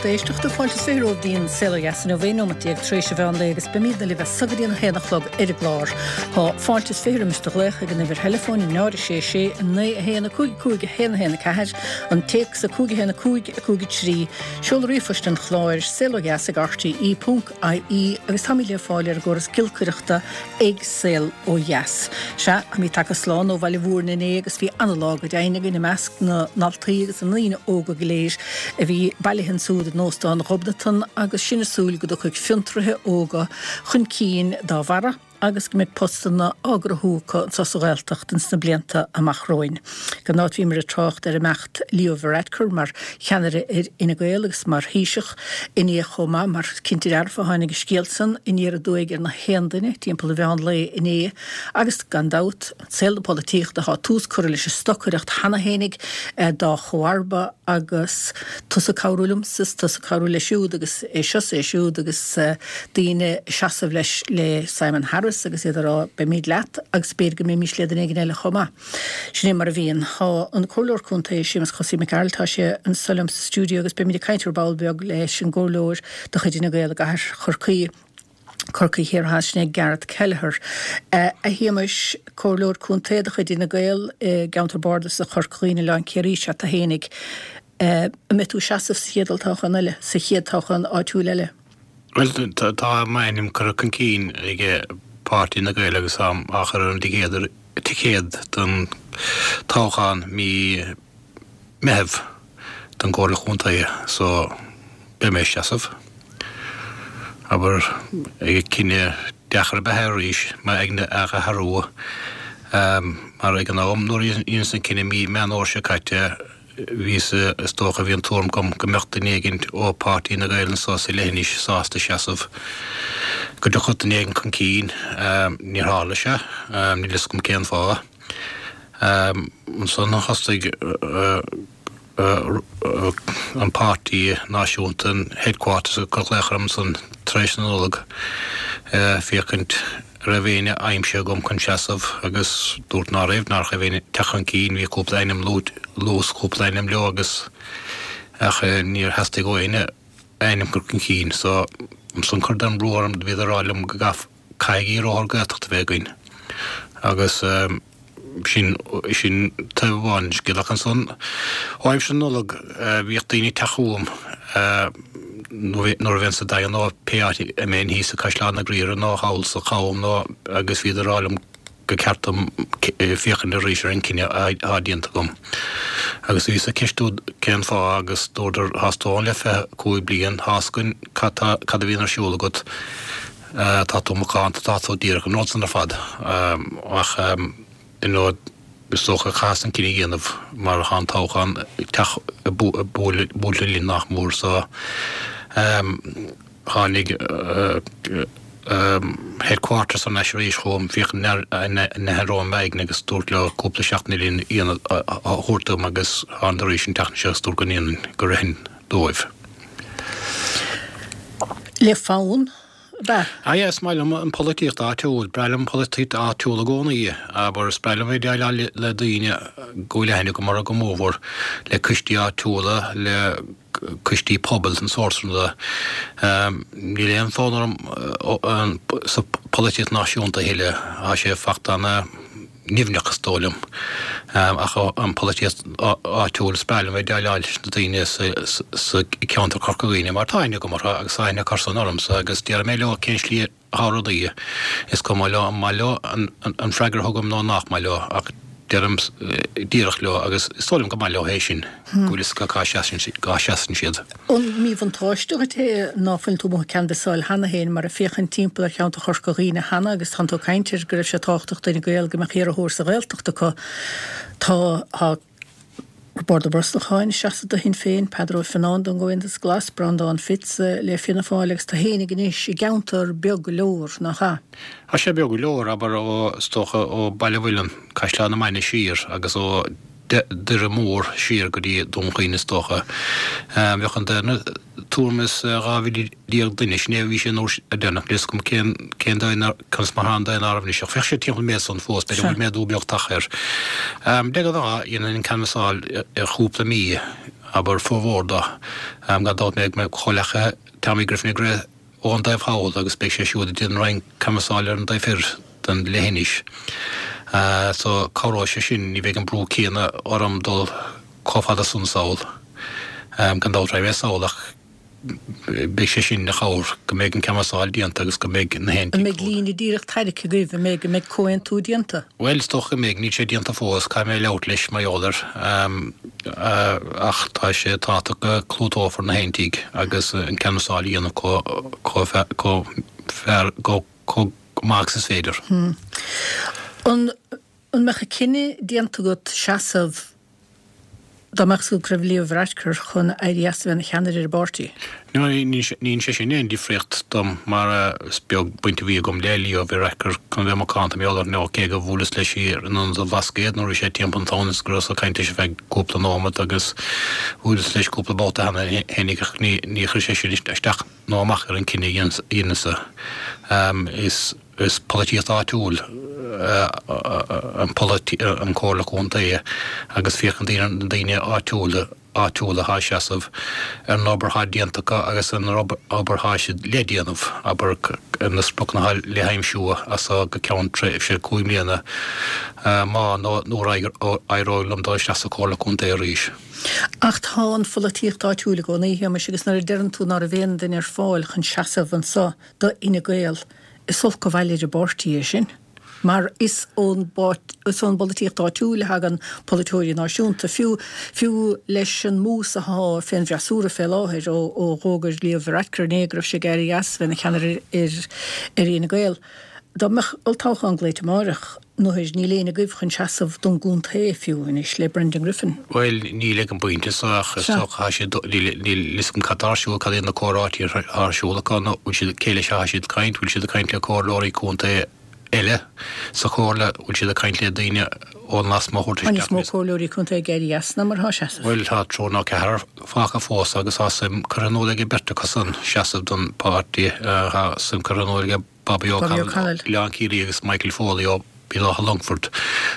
lucht éisteachta, fáilte is 20 romhaibh go dtí an Saol Ó Dheas inniu, 11 nóimeat tar éis an mheán lae agus beimidne libh as so go dtí an 1 a chlog ar an gclár. Tá fáilte is 20 roimis do ghlaoch ag an uimhir theileafóin 0 6 6 9 1 5 5 1 1 4, an téacs 5 1 5 5 3, seoladh ríomhphoist an chláir, saolodheas ag rte ponc ie agus táimid le fáil ar an gcóras giolcaireachta ag Saol Ó Dheas. Sea, táimid tagtha slán ó Bhaile Mhúirne inné agus bhí ana-lá go deimhin againn i measc na ndaltaí agus na ndaoine óga go léir a bhí bailithe ansúd in Óstán Ghobnatan agus sinn ag súil go dtiocfaidh fiontraithe óga chun cinn dá bharra agus go mbeidh postanna á gcruthú acu anseo sa Ghaeltacht ins na blianta amach romhainn. Gan dabht bhíomar ag trácht ar imeacht Leo Varadkar mar cheannaire ar Fhine Gael agus mar Thaoiseach inné chomh maith, mar cinnte dearfa tháinig an scéal san aniar aduaidh ar na haon duine timpeall an mheán lae inné agus gan dabht, saol na polaitíochta, tá tús curtha leis an stocaireacht cheana fhéinig dá chomharba agus tusa ag cabhrú liomsa is tusa ag cabhrú leis siúd agus é seo is é siúd agus daoine ag seasamh leis le Simon Harris agus iad ag rá beimid leat agus b'fhéidir go mbeimis le duine éigin eile chomh maith. Sin é mar a bhíonn. Tá an Comhairleoir Contae, Séamus Chosaí Mac Gearailt, tá sé anso liom sa stiúideo agus beimid ag caint ar ball beag leis an gComhairleoir de chuid Fhine Gael i gcathair Chorcaí, Corcaigh Thiar Theas, sin é Gareth Kelleher. A Shéamais, Comhairleoir Contae de chuid Fhine Gael i gceantar bardasach Chorca Dhuibhne, Oileán Ciarraí is ea tú fhéinig. An mbeidh tú ag seasamh sa chéad olltoghchán eile, sa chéad toghchán áitiúil eile? Bhuel, tá m'ainm curtha chun cinn ag Páirtí Fhine Gael agus táim á chur ar an ticéad don toghchán mí Meitheamh don gComhairle Chontae so beidh mé ag seasamh. Abair, cinneadh deacair ab ea é arís m'aigne a athrú mar ag an am nuair a dheineas an cinneadh mí Meán Fhómhair seo caite bhíos, is dócha, bhí an tuairim agam go mbeadh duine éigin ó Páirtí Fhine Gael anso sa leithinis sásta seasamh, go dtiocfadh duine éigin chun cinn. Níor tharla sé. Níl fhios agam cén fáth. Ansan thosaigh an páirtí náisiúnta, an headquarters, ag cur glaoch orm ansan tar éis na Nollag féachaint an raibh éinne aimsithe agam chun seasamh agus dúrt ná raibh, ná raibh éinne teacht chun cinn, bhí cúpla ainm luaite, luas cúpla ainm leo agus ach níor theastaigh ó éinne ainm a chur chun cinn so ansan chuireadar an brú orm, bhíodar ag rá liom go gcaithfeadh Caithfidh iarrthóir Gaeltachta a bheith againn agus sin, sin taobh amháin den scéal. Ach ansan, ó aimsir na Nollag, bhíodh daoine ag teacht chugam nuair a bheinn sa Daingean nó pé áit a mbeinn thíos i Caisleán na Graoire nó thall sa Chabhán nó agus bhíodar ag rá liom gur ceart dom féachaint arís ar an cinneadh atá déanta agam. Agus bhíos ag ceistiú cén fáth agus dúradar, Tá's tú ann le 25 bliain, tá's againn cad tá, cad a bhíonn ar siúl agat, tá tú macánta, tá tú díreach, an rud san ar fad. Ach you know is dócha chaitheas an cinneadh a dhéanamh mar tá an toghchán ag teacht ag bualadh linn nach mór so tháinig headquarters thar n-ais arís chugam féachaint an n-athróinn m'aigne agus dúrt leo cúpla seachtain eile a thabhairt dom agus thánadar arís an tseachtain seo agus dúrt go ndéanfainn, go rithfinn dóibh. Le fonn, ab ea? Ah yeah, is maith liom an pholaitíocht áitiúil, breá liom an pholaitíocht áitiúil i gcónaí, abair, is breá liom bheith ag déileáil le daoine go bhfuil aithne agam orthu go mórmhór, le coistí áitiúla, le coistí pobail, an sórt sin ruda. Níl aon fhonn orm sa pholaitíocht náisiúnta a thuilleadh, tá sé fachta ana nimhneach is dóigh liom. Ach an pholaitíocht áitiúil, is breá liom bheith ag déileáil leis na daoine sa cheantar Corca Dhuibhne mar tá aithne agam orthu agus tá aithne acusan ormsa agus déarfaidh mé leo cén slí atá rudaí. Is cuma leo an maith leo an freagra a thugaim nó nach maith leo ach deirim díreach leo agus is dóigh liom go maith leo é sin, go bhfuil fhios acu cá seasann siad. An míbhuntáiste dhuit é ná fuil tú amuigh ag canbhasáil cheana féin mar ag féachaint timpeall ar cheantar Chorca Dhuibhne cheana agus tánn tú ag caint ar go raibh sé tábhachtach d'Fhine Gael go mbeadh iarrthóir sa Ghaeltacht acu. Tá tá Roibeárd Ó Brosnacháin ag seasamh do Shinn Féin, Peadar Ó Fionnáin don gComhaontas Glas, Breandán Fitz le Fianna Fáil agus tú fhéinig anois i gceantar beag go leor, nach ea? Tá sé beag go leor, abair, ó, is dócha, ó Baile Mhuilinn, Caisleán na Mainge siar agus ó Doire Mór siar go dtí Dún Chaoin is dócha. Bheadh an daonra tuairim is 12,000 duine, sin é a bhí sé an uair deireanach, níl 'fhios agam cén cén daon conas mar atá an daonáireamh anois ach bheadh sé timpeall an méid san fós, b'fhéidir go bhfuil méadú beag tagtha air. De ghnáth dhéanfainn an canbhasáil ar chúpla mí. Abair, formhór do. Gan dabht beidh mo chomhleacaithe Tommy Griffin ag rith ón dtaobh thall agus beidh sé siúd ag déanamh roinnt canbhasáil ar an dtaobh thoir den leithinis. So cabhróidh sé sin, ní bheidh an brú céanna orm dul chomh fada san sall. Gan dabht raghaidh mé sall ach beidh sé sin ina chabhair go mbeidh an canbhasáil déanta agus go mbeidh na haon An mbeidh líne díreach tarraicthe agaibh? An mbeidh, an mbeidh comhaontú déanta? Bhuel, is dócha go mbeidh, níl sé déanta fós, caithfidh mé labhairt leis mar gheall air. Ach tá sé tábhachtach go clúdófar na haon tigh agus an canbhasáil a dhéanamh chomh fearr, chomh maith agus is féidir. An mbeadh an cinneadh déanta agat seasamh dá mbeadh fhios agat go raibh Leo Varadkar chun éirí as a bheith ina cheannaire ar an bpáirtí? No, ní dhein sé sin aon difríocht dom mar is beag baint a bhí agam le Leo Varadkar chun bheith macánta mar gheall air nó cé go bhuaileas leis in Ionad an Bhlascaoid nuair a bhí sé timpeall an town is go rabhas ag caint leis ar feadh cúpla nóimeat agus bhuaileas leis cúpla babhta cheana féinig ach ní chuir sé sin isteach nó amach ar an cinneadh a dheineas-sa. Is. Is polaitíocht áitiúil an an Comhairle Contae agus féachann daoine na daoine áitiúla áitiúla atá ag seasamh ar an obair atá déanta acu agus an obair atá siad le déanamh, abair, ar na spriocanna atá le haimsiú as seo go ceann tréimhse 5 mbliana má nó nuair a éireoidh liom dul isteach sa Chomhairle Contae arís. Ach tá an pholaitíocht áitiúil i gcónaí, a Shéamais, agus nuair a deireann tú ná raibh aon duine ar fáil chun seasamh anso do Fhine Gael, Is olc an bhail ar an bpáirtí é sin, mar is ón is ón bpolaitíocht áitiúil a thagann polaiteoirí náisiúnta, fiú fiú leis an mús athá fén bhfreasúra fé láthair ó ó dh'fhógair Leo Varadkar inné go raibh sé ag éirí as bheith ina cheannaire ar ar Fhine Gael. Dá mbeadh olltoghchán glaoite amáireach, Nuair níl éinne agaibh chun seasamh don gcontae fiú anois le Brendan Griffin. Bhuel, níl ag an bpointe seo ach is dócha tá siad, níl fhios agam cad tá ar siúl, cad iad na comhráití atá ar siúl acu nó bhfuil siad, cé leis atá siad ag caint, bhfuil siad ag caint le comhairleoirí contae eile sa chomhairle, bhfuil siad ag caint le daoine ón lasmuigh a thabhairt Tá níos mó comhairleoirí contae ag éirí as ná mar atá ag seasamh. Bhuel, tá triúr nó ceathrar fágtha fós agus tá suim curtha in iúl ag beirt acu san seasamh don pháirtí, tá suim curtha in iúl ag Bobby O'Connell ó Oileán Ciarraí agus Michael Foley ó Bhéal Átha Longfoirt.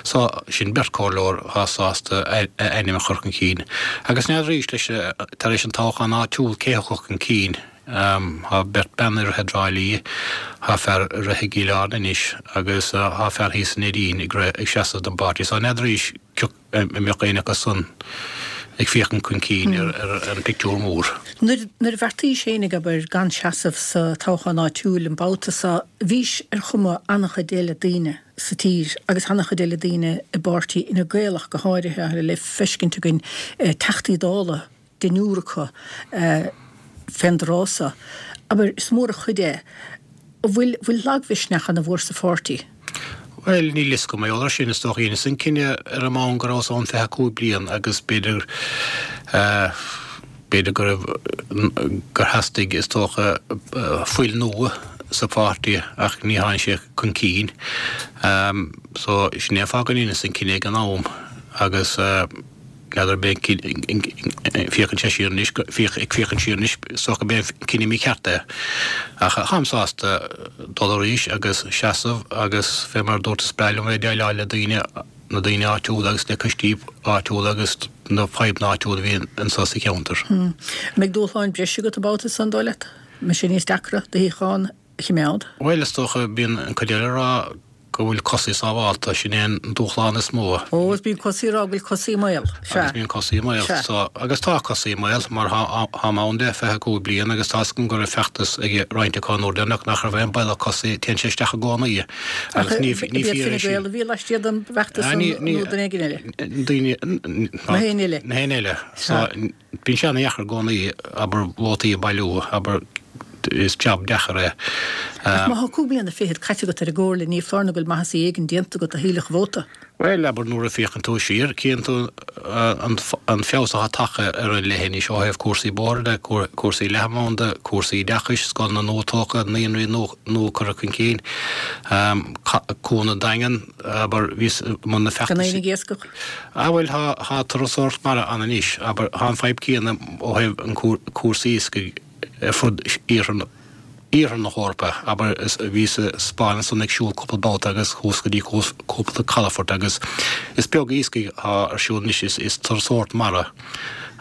So, sin beirt comhairleoir atá sásta a ainm a chur chun cinn. Agus n'fheadar arís leis, tar éis an toghchán áitiúil, cé thiocfadh chun cinn. Tá beirt bean ag rith i dTrá Lí, tá fear ag rith i gCill Airne anois agus tá fear thíos i Neidín ag rith, ag seasamh don bpáirtí. So n'fheadar arís cioc. an mbeadh éinne acu san ag féachaint chun cinn ar an bpictiúr mór. Nuair a bheartaís fhéinig, abair, gan seasamh sa toghchán áitiúil an babhta so, bhís ar chuma an-chuid eile daoine sa tír agus an-chuid eile daoine i bpáirtí Fhine Gael ach go háirithe, le feiscint againn Teachtaí Dála deichniúr acu fén dtráth so. Abair, is mór an chuid é. An bhfuil, bhfuil lagmhisneach ana mhór sa pháirtí? Bhuel, níl fhios agam mar gheall air sin. Is dócha, dheineas an cinneadh ar an mbonn go rabhas ann 25 bliain agus b'fhéidir, b'fhéidir go raibh, gur theastaigh, is dócha, fuil nua sa pháirtí ach ní tháinig sé chun cinn. So, sin é an fáth go ndeineas an cinneadh ag an am agus. N'fheadar, ag féachaint siar anois, ag féachaint siar anois, is dócha gurb é an cinneadh mícheart é. Ach táim sásta dul arís agus seasamh agus fé mar a dúrt is breá liom bheith ag déileáil le daoine, na daoine áitiúla agus le coistí áitiúla agus na fadhbanna áitiúla a bhíonn anseo sa cheantar. An mbeidh dúshláin breise agat an babhta san, dóigh leat? An mbeidh sé níos deacra do shuíochán a choimeád? Bhuel, is dócha, bíonn an cuid eile ag rá go bhfuil cosaí sábhálta, sin é an dúshlán is mó. Ó, is bíonn cosaí ag rá go bhfuil cosaí i mbaol, sea. Agus bíonn cosaí i mbaol, sea. So, agus tá cosaí i mbaol, mar tháim ann le 25 bliain agus tá's agam go raibh feachtas ag roinnt acu an uair deireanach nach raibh aon baol ach cosaí, téann sé isteach i gcónaí. Agus ní, ní fíor é sin. Fine Gael a bhí laistiar den bhfeachtas san nó duine éigin eile? Daoine, Na héinne eile. Na héinne eile. So, Bíonn sé ana-dheacair i gcónaí, abair, vótaí a bhailiú, abair, is jab deacair é. Ach má thá cúig bliana fichead caite agat ar an gcomhairle, ní foláir nó go bhfuil maitheasaí éigin déanta agat a thuillfeadh vóta. Bhuel, abair, nuair a féachann tú siar, cíonn tú an feabhas atá tagtha ar an leithinis ó thaobh cúrsaí bóithre de, cúrsaí leathanbhanda, cúrsaí oideachais, scoileanna nua tógtha, naíonraí nua curtha chun cinn, Cuan an Daingin, abair, bhíos i mbun na Gan éinne ag iascach. Ah bhuel tá tá turasóireacht mara ann anois, abair, tá an fadhb céanna ó thaobh an cúrsaí iascaigh ar fud iarthar na iarthar na hEorpa, abair, bhíos sa Spáinn ansan ag siúl cúpla babhta agus thuas go dtí cúpla calafort agus is beag iascaigh atá ar siúl anois, is is turasóireacht mara.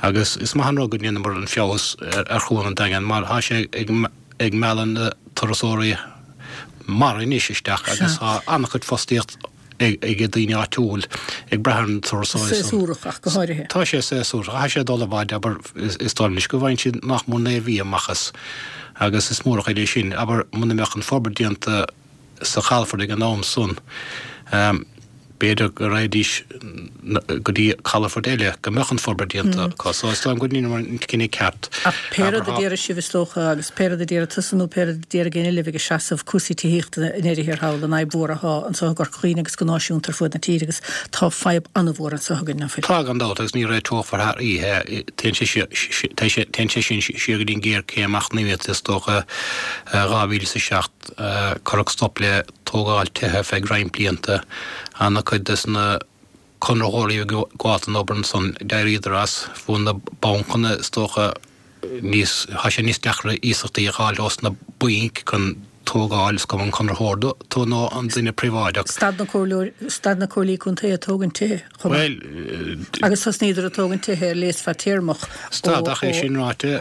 Agus is maith an rud go ndeineamar an feabhas ar Chuan an Daingin mar tá sé ag mealladh na turasóirí mara anois isteach agus tá an-chuid fostaíocht ag daoine áitiúil ag brath ar na turasóirí san. Séasúrach ach go háirithe. Tá sé séasúrach. Tá sé ag dul i bhfad, abair, is dóigh liom anois go bhfaigheann siad nach mór 9 mhí amach as agus is mór an chuid é sin. Abair, muna mbeadh an forbairt déanta sa chalafort ag an am san, b'fhéidir go raghaidís go dtí calafort eile go mbeadh an forbairt déanta acu. So is dóigh liom go ndeineamar an cinneadh ceart. Ach pé rud a déarfaidh sibh is dócha, agus pé rud a déarfaidh tusa nó pé rud a déarfaidh éinne libh ag seasamh, cúrsaí tithíochta i ndeireadh thiar thall, an fhadhb mhór athá anso i gCorca Dhuibhne agus go náisiúnta ar fuaid na tíre agus tá fadhb an-mhór anso againn, ná fuil? Tá gan dabht agus ní réiteofar thar oíche é. Téann sé sin siar go dtí an ghéarchéim eacnamaíochta is dócha, 2007. Cuireadh stop le tógáil tithe feadh roinnt blianta. Ana-chuid des na conraitheoirí a bhí ag gabháilt don obair ansan, d'éiríodar as. Fuair na bancanna, is dócha, níos, tá sé níos deacra iasachtaí a dh'fháil ós na bainc chun tógáil, is cuma an conraitheoir tú nó an duine príobháideach. Stad na comhairleoirí, stad na comhairlí contae ag tógaint tithe chomh maith. Bhuel, Agus thosnaíodar ag tógaint tithe ar léas fadtéarmach ó, Stad, ach é sin ráite,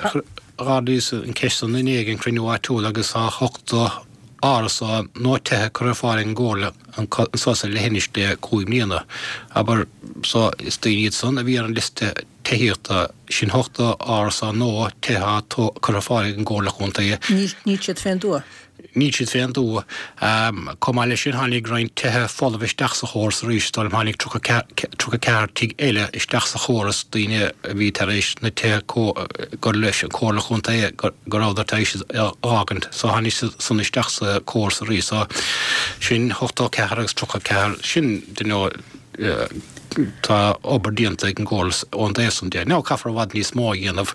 Ardaíodh an cheist san inné ag an chruinniú áitiúil agus tá 80 árasán nó tithe curtha ar fáil ag an gComhairle anso sa leithinis le 5 mbliana. Abair, so is daoine iad san a bhí ar an liosta tithíochta, sin 80 árasán nó tithe atá curtha ar fáil ag an gComhairle Chontae. Níl siad fén dtuath. Níl siad fén dtuath. Chomh maith leis sin, tháinig roinnt tithe folamh isteach sa chóras arís. Is dóigh liom tháinig 34 tigh eile isteach sa chóras, daoine a bhí tar éis na tithe gur leis an Chomhairle Chontae go rabhadar tar éis a fhágaint. So tháinig siad san isteach sa chóras arís. So sin 84 agus 34. Sin, you know, tá obair déanta ag an gComhairle ón dtaobh san de. Now caithfear i bhfad níos mó a dhéanamh.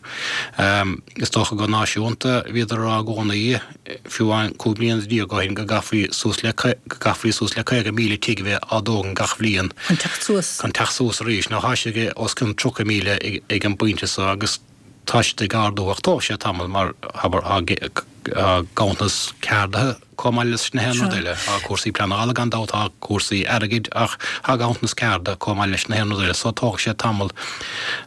Is dócha go náisiúnta, bhíodar a rá i gcónaí, fiú amháin 15 bliana ó shin, go gcaithfí suas le, go gcaithfí suas le 50,000 tigh a bheith á dtógaint gach bhliain. Chun teacht suas. Chun teacht suas arís. Now tá siad ag os cionn 30,000 ag an bpointe so agus tá siad ag ardú ach tógfaidh sé tamall mar, abair, tá ganntanas ceardaithe chomh maith leis na haon rud eile. Tá cúrsaí pleanála gan dabht, tá cúrsaí airgid ach tá ganntanas ceardaithe chomh maith leis na haon rud eile so tógfaidh sé tamall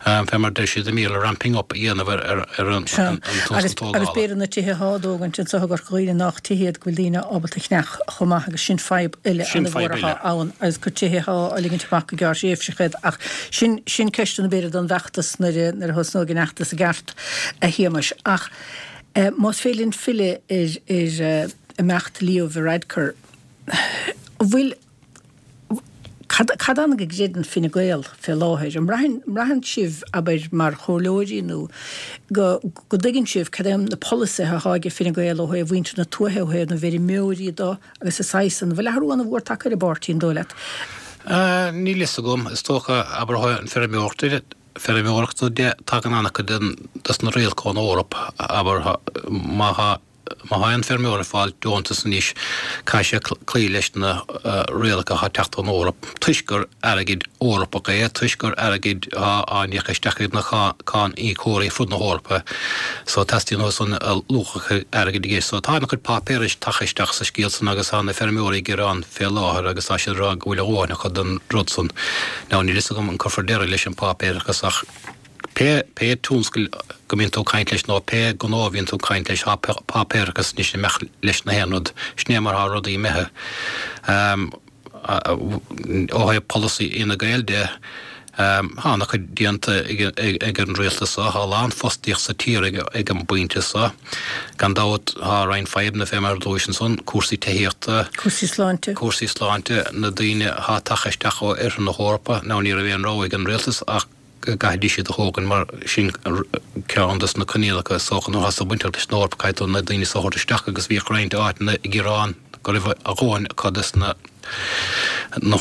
fé mar deir siad i mBéarla ramping up a dhéanamh ar ar an tionscal tógála. Agus b'fhéidir na tithe atá á dtógaint anseo i gCorca Dhuibhne nách tithe iad go bhfuil daoine ábalta a cheannach chomh maith agus sin fadhb eile an-mhór atá ann agus gur tithe atá á ligint amach go gearrthréimhseach iad ach sin sin ceisteanna b'fhéidir don bhfeachtas nuair a nuair a thosnóidh an fheachtas i gceart a Shéamais ach Más féidir linn filleadh ar imeacht Leo Varadkar, an bhfuil, cad ann go gcreideann Fine Gael fé láthair? An mbraitheann sibh, abair, mar chomhairleoirí nó go dtuigeann sibh cad é na polasaithe atá ag Fine Gael ó thaobh mhuintir na tuaithe, ó thaobh na bhfeirmeoirí do agus an saghas san? An bhfuil athrú an-mhór tagtha ar an bpáirtí, an dóigh leat? Níl fhios agam. Is dócha, abair, ó thaobh an feirmeoireachta de, feirmeoireachta de, tagann an-chuid des na rialacha ón Eoraip, abair, má tá má tá aon feirmeoir ag fáil deontas anois, caithfidh sé cloí leis na rialacha atá ag teacht ón Eoraip, toisc gur airgead Eorpach é, toisc gur airgead atá á n-íoc isteach ag na cáin-íocóirí fud na hEorpa, so teastaíonn uathu san luach a chuid airgid i gceist. So tá an-chuid páipéarais tagtha isteach sa scéal san agus tá na feirmeoirí ag gearán fé láthair agus tá siad ag rá go bhfuil a dhóthain acu den rud san. Now níl fhios agam an cuirfear deireadh leis an páipéarachas ach pé, pé tionscal go mbíonn tú ag caint leis nó pé gnó a bhíonn tú ag caint leis tá páipéarachas anois imithe leis na haon rud. Sin é mar thá rudaí imithe. Ó thaobh polasaí Fhine Gael de, Tá an-chuid déanta ag an rialtas seo. Tá a lán fostaíocht sa tír ag an bpointe seo. Gan dabht tá roinnt fadhbanna fé mar a luais ansan, cúrsaí tithíochta, Cúrsaí sláinte. cúrsaí sláinte, na daoine atá tagtha isteach ó oirthear na hEorpa. Now ní raibh aon rogha ag an rialtas ach go gcaithfidís iad a thógaint mar sin ceann dos na coinníollacha is dócha nuair atá tú bainteach leis an Eoraip caithfidh tú na daoine seo a thabhairt isteach agus bhíodh roinnt áiteanna ag gearán go raibh a dhóthain acu dos na na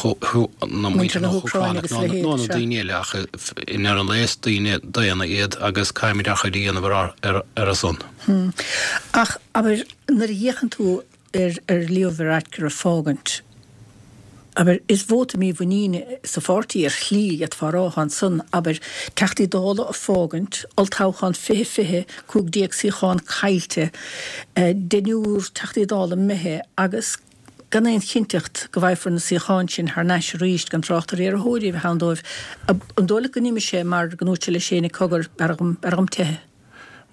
muintir na hÚcráine nó nó na daoine eile ach i ndeireadh an lae is daoine daonna iad agus caithfimid ár chuid a dhéanamh ar ar ar a son. Ach abair nuair a fhéachann tú ar ar Leo Varadkar a fágaint, abair, is vóta mímhuiníne sa pháirtí ar shlí, d'fhéadfá a rá, atá ansan, abair, Teachtaí Dála a fágaint, olltoghchán 2020, 15 suíochán caillte, deichniúr Teachtaí Dála imithe agus. Gan aon chinnteacht go bhfaighfear na suíocháin sin thar n-ais arís, gan trácht ar iarrthóirí a bheith ann dóibh, an dóigh leat go n-imigh sé mar go ndúirt sé leis féin cogar, b'fhearr dhom, b'fhearr dhom teitheadh?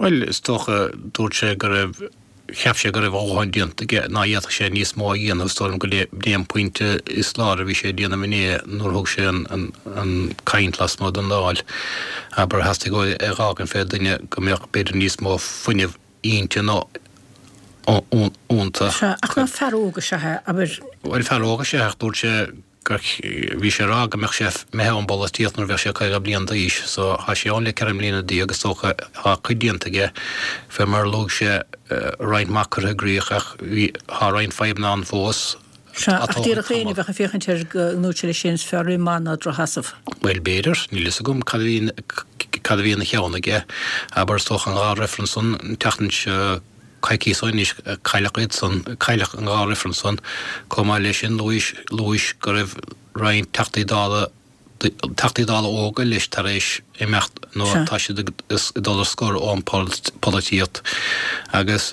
Bhuel, is dócha, dúirt sé go raibh, cheap sé go raibh a dhóthain déanta aige, ná fhéadfadh sé níos mó a dhéanamh. Is dóigh liom go b'é an pointe is láidre a bhí sé ag déanamh inné nuair a thug sé an an caint lasmuigh den Dáil. Abair, theastaigh uaidh é a dh'fhágaint fé dhuine go mbeadh b'fhéidir níos mó fuinnimh inti nó iontu. Sea, ach ná fear óg is ea é, abair. Bhuel, fear óg is ea é ach dúirt sé gur, bhí sé ag rá go mbeadh sé imithe ón bpolaitíocht nuair a bheadh sé 50 bliain d'aois. So, tá sé ann le 14 mbliana is dócha, tá cuid déanta aige, fé mar a luaigh sé, roinnt maith curtha i gcrích ach bhí, tá roinnt fadhbanna ann fós. Sea, ach déarfadh éinne a bheadh ag féachaint air go ndúirt sé leis féin is fearr rith maith ná drochsheasamh. Bhuel, b'fhéidir, níl fhios agam cad a bhí, cad a bhí ina cheann aige. Abair, is dócha an dhá reifreann san, an tseachtain seo, coicíos ó anois, cailleadh iad san, cailleadh an dhá reifreann san. Chomh maith leis sin, luaigh, luaigh go raibh roinnt Teachtaí Dála, Teachtaí Dála óga leis tar éis imeacht nó tá siad ag dul ar scor ón bpolaitíocht agus,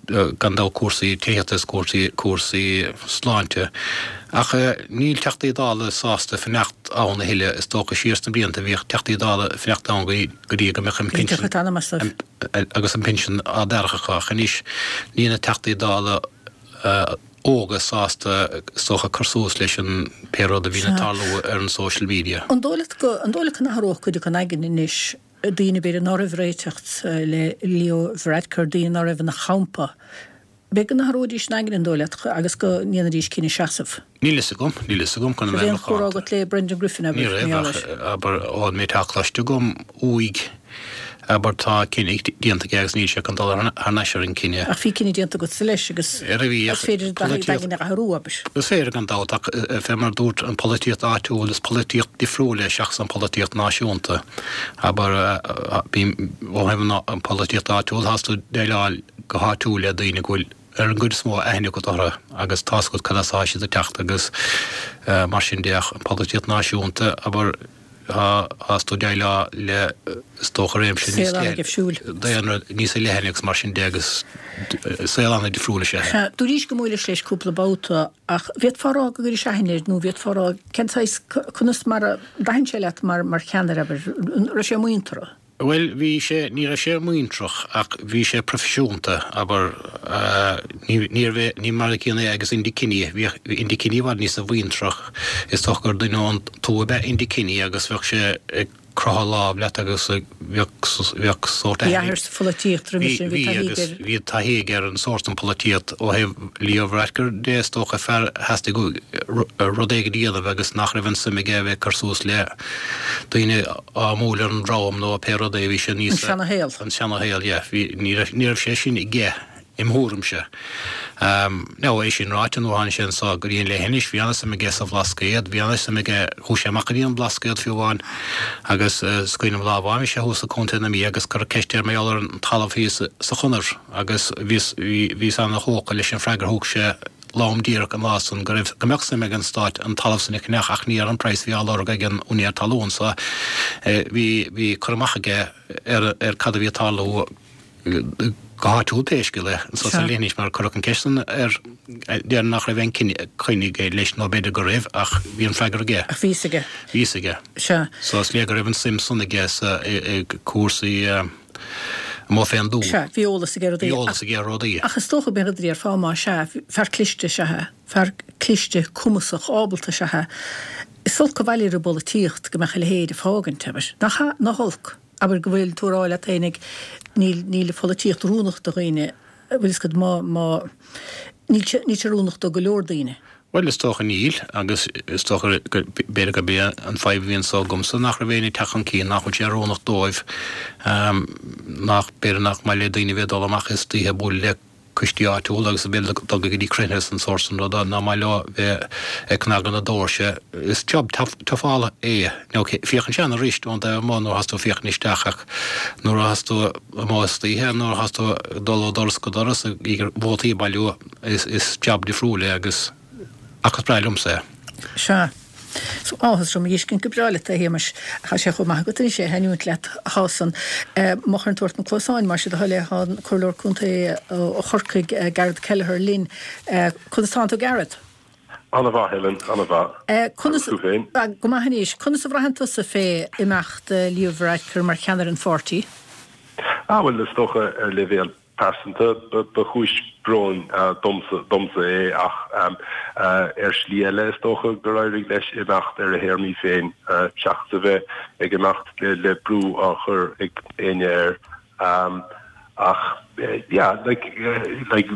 gan dabht cúrsaí tithíochta is cúrsaí cúrsaí sláinte. Ach níl Teachtaí Dála sásta fanacht ann a thuilleadh. Is dócha siar sna blianta bhíodh Teachtaí Dála ag fanacht ann go dtí go mbeadh an pinsean agus an pinsean á dtairfeadh acu ach anois níl na Teachtaí Dála óga sásta is dócha cur suas leis an pé rud a bhíonn ag tarlú ar an social media. An dóigh leat go an dóigh leat go n-athródh cuid acu a n-aigne anois daoine b'fhéidir ná raibh ag réiteacht le Leo Varadkar, daoine ná raibh ina champa. B'fhéidir go n-athróidís a n-aigne, an dóigh leat, agus go ndéanfaidís cinneadh seasamh. Níl fhios agam, níl fhios agam chun a bheith Raibh aon chomhrá agat le Brendan Griffin, abair, Ní raibh, ach, abair, ón méid atá cloiste agam uaidh, abair, tá cinneadh déanta aige agus níl sé chun dul thar n-ais ar an cinneadh. Ach bhí cinneadh déanta agatsa leis agus is féidir d'aigne a athrú, abair. Is féidir gan dabht, ach fé mar a dúirt, an pholaitíocht áitiúil, is polaitíocht difriúil é seachas an pholaitíocht náisiúnta. Abair, ó thaobh an pholaitíocht áitiúil, tás tú déileáil go háitiúil le daoine go bhfuil ar an gcuid is mó aithne agat orthu agus tá's agat cad as atá siad ag teacht agus mar sin de. Ach an pholaitíocht náisiúnta, abair, Tás tú déileáil le, is dócha, réimse níos Saol an-difriúil. daonra níos leithne agus mar sin de agus saol an-difriúil is ea é. Sea, dúraís go mbuailis leis cúpla babhta ach bhféadfá a rá go gcuiris aithne air nó bhféadfá a rá cén saghas, conas mar a d'aithin sé leat mar cheannaire, abair, an raibh sé muinteartha? Bhuel, bhí sé, ní raibh sé muintreach ach bhí sé proifisiúnta, abair, ní, níorbh é, ní mar a chéanna é agus Enda Kenny, bhíodh Enda Kenny i bhfad níosa mhuintreach, is dócha gur duine ón tuath ab ea Enda Kenny agus bheadh sé ag croitheadh lámh leat agus bheadh, bheadh sórt Bhí athair sa pholaitíocht roimhe sin, bhí taithí aige ar. Bhí taithí aige ar an sórt an pholaitíocht ó thaobh Leo Varadkar de, is dócha, fear a theastaigh rud éigin a dhéanamh agus nach raibh an suim aige a bheith ag cur suas le daoine á mbualadh ar an ndroim nó pé rud é, bhí sé níos. An seana-shaol. An seana-shaol, yeah. Bhí, ní raibh, ní raibh sé sin aige, im thuairimse. Now, é sin ráite, nuair a tháinig sé anso go dtí an leithinis, bhí an-suim aige sa Bhlascaod, bhí an-suim aige, chuaigh sé amach go dtí an Blascaod fiú amháin agus is cuimhin liom lá amháin bhí sé thuas i Contae na Mí agus cuireadh ceist air mar gheall ar an talamh thíos sa Chonair agus bhíos, bhí, bhíos ana-thógtha leis an freagra a thug sé, lom díreach an lá san go raibh, go mbeadh suim ag an Stát an talamh san a cheannach ach ní ar an praghas a bhí á lorg ag an úinéir talún so bhí, bhí cur amach aige ar, ar cad a bhí ag tarlú go háitiúil pé scéal é anso sa leithinis mar cuireadh an ceist san air, déarfainn nach raibh aon coinne aige leis nó b'fhéidir go raibh ach bhí an freagra aige. Ach bhí fhios aige. Bhí fhios aige. Sea. So is léir go raibh an suim san aige sa, i, i cúrsaí. amuigh fén dtuath. Sea, bhí eolas aige ar rudaí. Bhí eolas aige ar rudaí. Ach is dócha b'in rud a déarfá más ea, fear cliste is ea é, fear cliste, cumasach, ábalta is ea é. Is olc an bhaile ar an bpolaitíocht go mbeadh a leithéid ag fágaint, abair. Nach ea? Nach olc? Abair go bhfuil tú a rá leat fhéinig, níl, níl an pholaitíocht oiriúnach do dhaoine, bhfuil fhios agat, má, má, níl sé, níl sé oiriúnach do go leor daoine. Bhuel, is dócha níl, agus is dócha go, b'fhéidir gurb é an fadhb a bhí anso agamsa nach raibh éinne ag teacht chun cinn, nach bhfuil sé oiriúnach dóibh, nach, b'fhéidir nach maith le daoine a bheith ag dul amach istoíche ag bualadh le coistí áitiúla agus a bheith ag dul go dtí cruinnithe is an sórt san ruda, nach maith leo bheith ag cnagadh na doirse. Is job tough-ála é. Now, féachann sé ana-rist ón dtaobh amuigh nuair athás tú ag féachaint isteach ach nuair athás tú amuigh istoíche, nuair athás tú ag dul ó doras go doras ag iarraidh vótaí a bhailiú, Is jab difriúil é agus ach is breá liomsa é. Sea. So áthas orm a fheiscint go breá leat a Shéamais. Tá sé chomh maith agat anois é a thaitneoint leat thá san. Má chuireann tú ort na cluasáin, más é do thoil é, tá an Comhairleoir Contae ó Chorcaigh, Garret Kelleher linn. Conas tánn tú Garret? Ana-mhaith, Helen, ana-mhaith. Conas, Agus tú féin? Go maith anois. Conas a bhraitheann tusa fé imeacht Leo Varadkar mar cheannaire an pháirtí? Ah, bhuel, is dócha ar leibhéal pearsanta ba chúis bróin domsa é ach ar shlí eile is dócha gur éirigh leis imeacht ar a théarmaí féin seachas a bheith ag imeacht le brú á chur ag éinne air. Ach yeah, like, like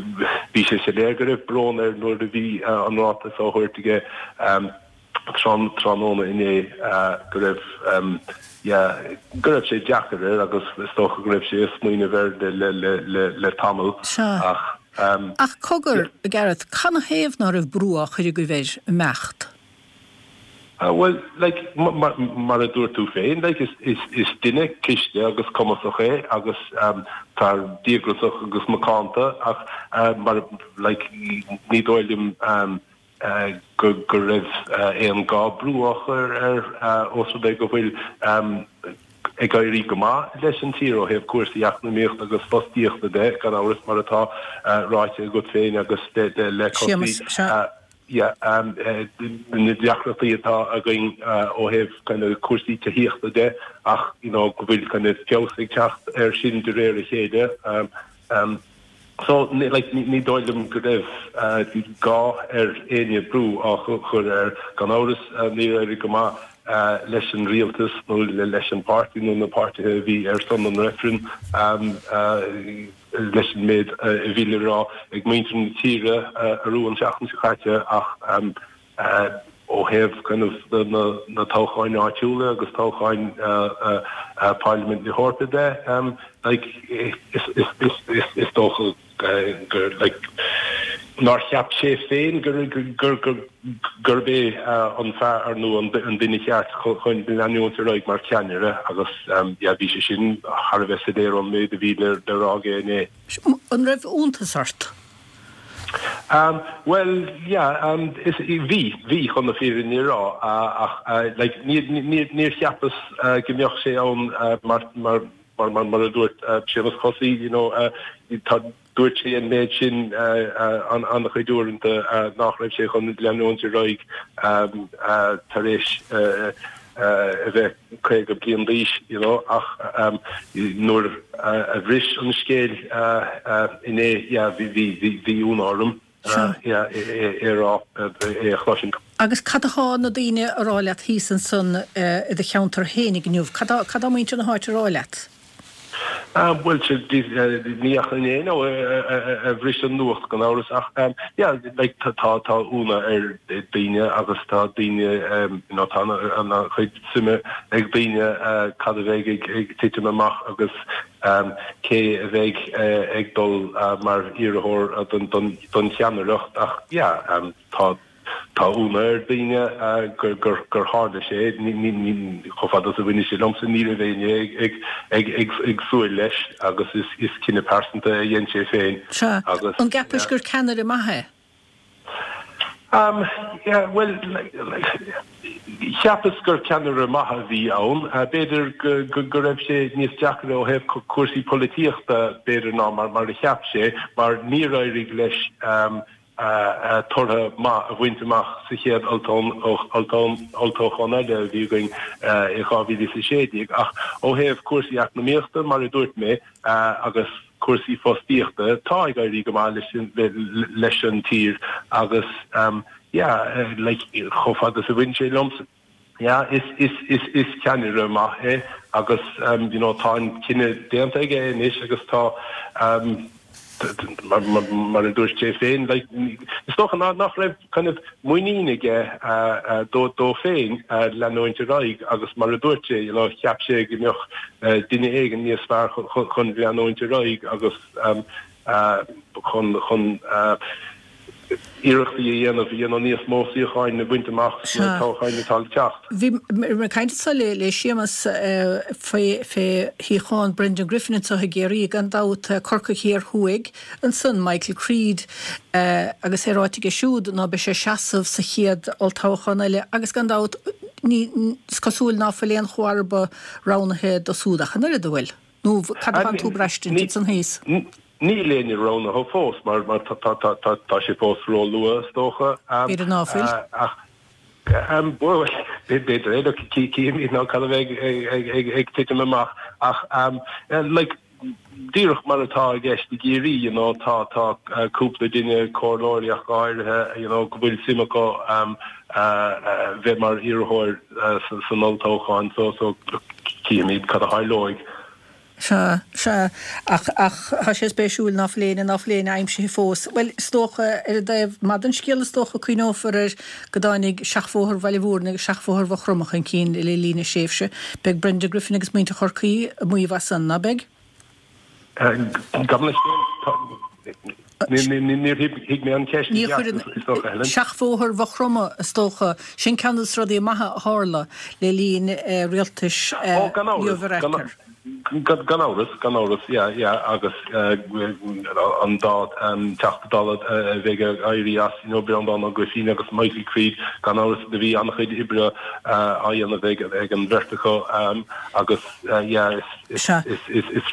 bhí sé soiléir go raibh brón air nuair a bhí an ráiteas á thabhairt aige tráthnóna inné go raibh yeah go raibh sé deacair air agus is dócha go raibh sé ag smaoineamh air le le le le tamall Sea. ach Ach cogar, a Gareth, canathaobh ná raibh brú á chur agaibh air imeacht? Bhuel, like, mar a dúirt tú féin, like, is is is duine cliste agus cumasach é agus fear díograiseach agus macánta ach mar like ní dóigh liom go raibh aon gá brú á chur air ós rud é go bhfuil ag éirí go maith leis an tír ó thaobh cúrsaí eacnamaíochta agus fostaíochta de, gan amhras, mar atá ráite agat féin agus le Séamus, sea. na deacrachtaí atá againn ó thaobh kind of cúrsaí tithíochta de ach you know go bhfuil kind of feabhas ag teacht air sin de réir a chéile. So, like, ní dóigh liom go raibh gá ar éinne brú á chur air. Gan amhras, níor éirigh go maith leis an rialtas nó leis an pháirtí nó na páirtithe a bhí ar son an reifrinn leis an méid a bhí le rá ag muintir na tíre arú an tseachtain seo caite ach ó thaobh kind of na toghcháin áitiúla agus toghcháin Pharlaimint na hEorpa de, like, is dócha gur, like, nár cheap sé féin gurb é an fear nó an duine cheart chun leanúint ar aghaidh mar cheannaire agus, yeah, bhí sé sin thar a bheith soiléir ón méid a bhí le rá aige inné. An raibh iontas ort? Bhuel, yeah, is, bhí, bhí, chun na fírinne a rá, ach, like, níor, níor, níor cheapas go mbeadh sé ann mar, mar, mar, mar, mar a dúirt Séamus Cosaí, you know, tá, dúirt sé an méid sin an, an-chuid uaireanta nach raibh sé chun leanúint ar aghaidh tar éis a bheith 50 bliain d'aois, you know, ach nuair a bhris an scéal inné, yeah, bhí, bhí, bhí, bhí ionadh orm, yeah, é a rá, é a chloisint. Agus cad atá na daoine a rá leat thíos ansan i do cheantar fhéinig inniu? Cad cad tá muintir na háite a rá leat? Bhuel, ní ach inné nó a bhris an nuacht gan amhras ach yeah like tá tá ionadh ar daoine agus tá daoine you know tá an-chuid suime ag daoine cad a bheidh ag ag titim amach agus cé a bheidh ag dul mar iarrthóir don don don cheannaireacht ach yeah tá Tá ionadh ar daoine gur tharla sé, chomh fada is a bhaineann sé liomsa, ní raibh éinne ag súil leis agus is cinneadh pearsanta a dhein sé féin. Sea. An gceapais gur ceannaire maith é? Bhuel, cheapas gur ceannaire maith a bhí ann. B'fhéidir go raibh sé níos deacra ó thaobh cúrsaí polaitíochta b'fhéidir ná mar a cheap sé, mar níor éirigh leis tortha maith a bhaint amach sa chéad olltoghchán eile a bhí againn i 2016. Ach ó thaobh cúrsaí eacnamaíochta, mar a dúirt mé, agus cúrsaí fostaíochta, tá ag éirí go maith leis an tír agus yeah, like, chomh fada is a bhain sé liomsa, Yeah, is, is, is, is ceannaire maith é agus you know tá an cinneadh déanta aige anois agus tá mar, mar, mar a dúirt sé féin, like, is dócha ná, nach raibh kind of muinín aige dó, dó féin leanúint ar aghaidh agus mar a dúirt sé, you know, cheap sé go mbeadh duine éigin níos fearr chun leanúint ar aghaidh agus chun, chun. iarrachtaí a dhéanamh you know níos mó suíocháin a bhaint amach sna toghcháin atá le teacht. Bhí mé ag caint anso le Séamus fé shuíochán Brendan Griffin anso i gCiarraí, gan dabht, Corcaigh Thiar Thuaidh, ansan Michael Creed agus é ráite aige siúd ná beidh sé ag seasamh sa chéad olltoghchán eile agus gan dabht ní, is cosúil ná fuil aon chomharba roghnaithe dó súd ach an oiread, an bhfuil? Nó cad atánn tú ag braistint ansan thíos? Níl éinne roghnaithe fós mar tá sé fós ró-luath is dócha. B'fhéidir ná fuil. Ach bhuel, b'fhéidir é, look, cífimid nó cad a bheidh ag titim amach ach like díreach mar atá i gceist i gCiarraí, you know, tá tá cúpla duine, comhairleoirí ach go háirithe, you know, go bhfuil suim acu bheith mar iarrthóir san olltoghchán so so cífimid cad a tharlóidh. Sea, sea, ach, ach tá sé spéisiúil ná fuil éinne, ná fuil éinne aimsithe fós. Bhuel, is dócha, ar an dtaobh maith den scéal, is dócha, cuimhneofar air go dtáinig Seachbhóthar Bhaile Mhúirne agus Seachbhóthar Mhaigh Chromtha chun cinn le linn a thréimhse. Beidh Brenda Griffin agus muintir Chorcaí ag maíomh as san, ná beidh? Gabh mo leithscéal, níor thuig mé an cheist i gceart, is dócha, Helen. Seachbhóthar Mhaigh Chromtha, is dócha. Sin ceann de na rudaí maithe a tharla le linn rialtais Leo Varadkar. Gan amhras, gan amhras, yeah, yeah, agus an dá Teachta Dála a bheidh ag éirí as, you know, Breandán Ó Grifín agus Michael Creed, gan amhras, do bhí an-chuid oibre á dhéanamh ag an bheirt acu agus, yeah, is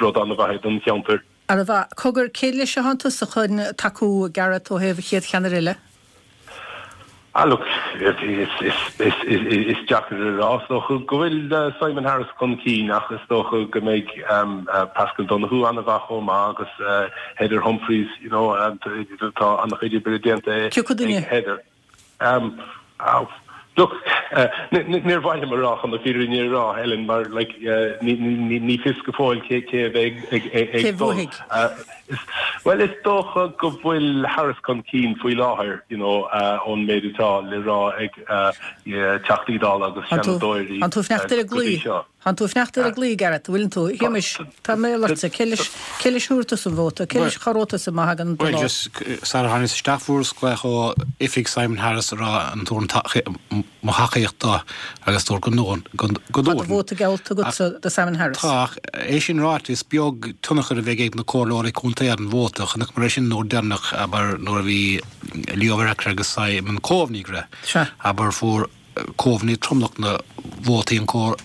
rud an-mhaith é don cheantar. An-mhaith. Cogar, cé leis atánn tusa chun tacú, Gareth, ó thaobh an chéad cheannaire eile? Ah look, is deacair a rá. Is dócha go bhfuil Simon Harris chun cinn ach is dócha go mbeidh Paschal Donohoe an-mhaith chomh maith agus Heather Humphreys, you know, tá an-chuid oibre déanta ag Heather. Look, níor mhaith liom a rá chun na fírinne a rá, Helen, mar like ní fios go fóill cé a bheidh ag dul. Bhuel, is dócha go bhfuil Harris chun cinn faoi láthair, you know, ón méid atá le rá ag Teachtaí Dála agus Seanadóirí go dtí seo. Tánn tú ag fanacht ar an gclaí, Gareth, an bhfuileann tú? A Shéamais, tá mé ortsa, cé leis, cé leis a thabharfaidh tusa an vóta? Cé leis a chabhróidh tusa má thagann an Bhuel, lá? just, sara tháinig isteach fuaireas glaoch ó oifig Simon Harris a rá an dtabharfainn mo thacaíocht dó agus dúirt go ndúirt, go Tá do dtabharfainn. vóta geallta agatsa do Simon Harris. Tá, ach é sin ráite, is beag tionchar a bheidh ag na comhairleoirí contae ar an vóta. Chonaiceamar é sin an uair deireanach, abair, nuair a bhí Leo Varadkar agus Simon Coveney ag rith, Sea. abair, fuair Coveney tromlach na vótaí an comhair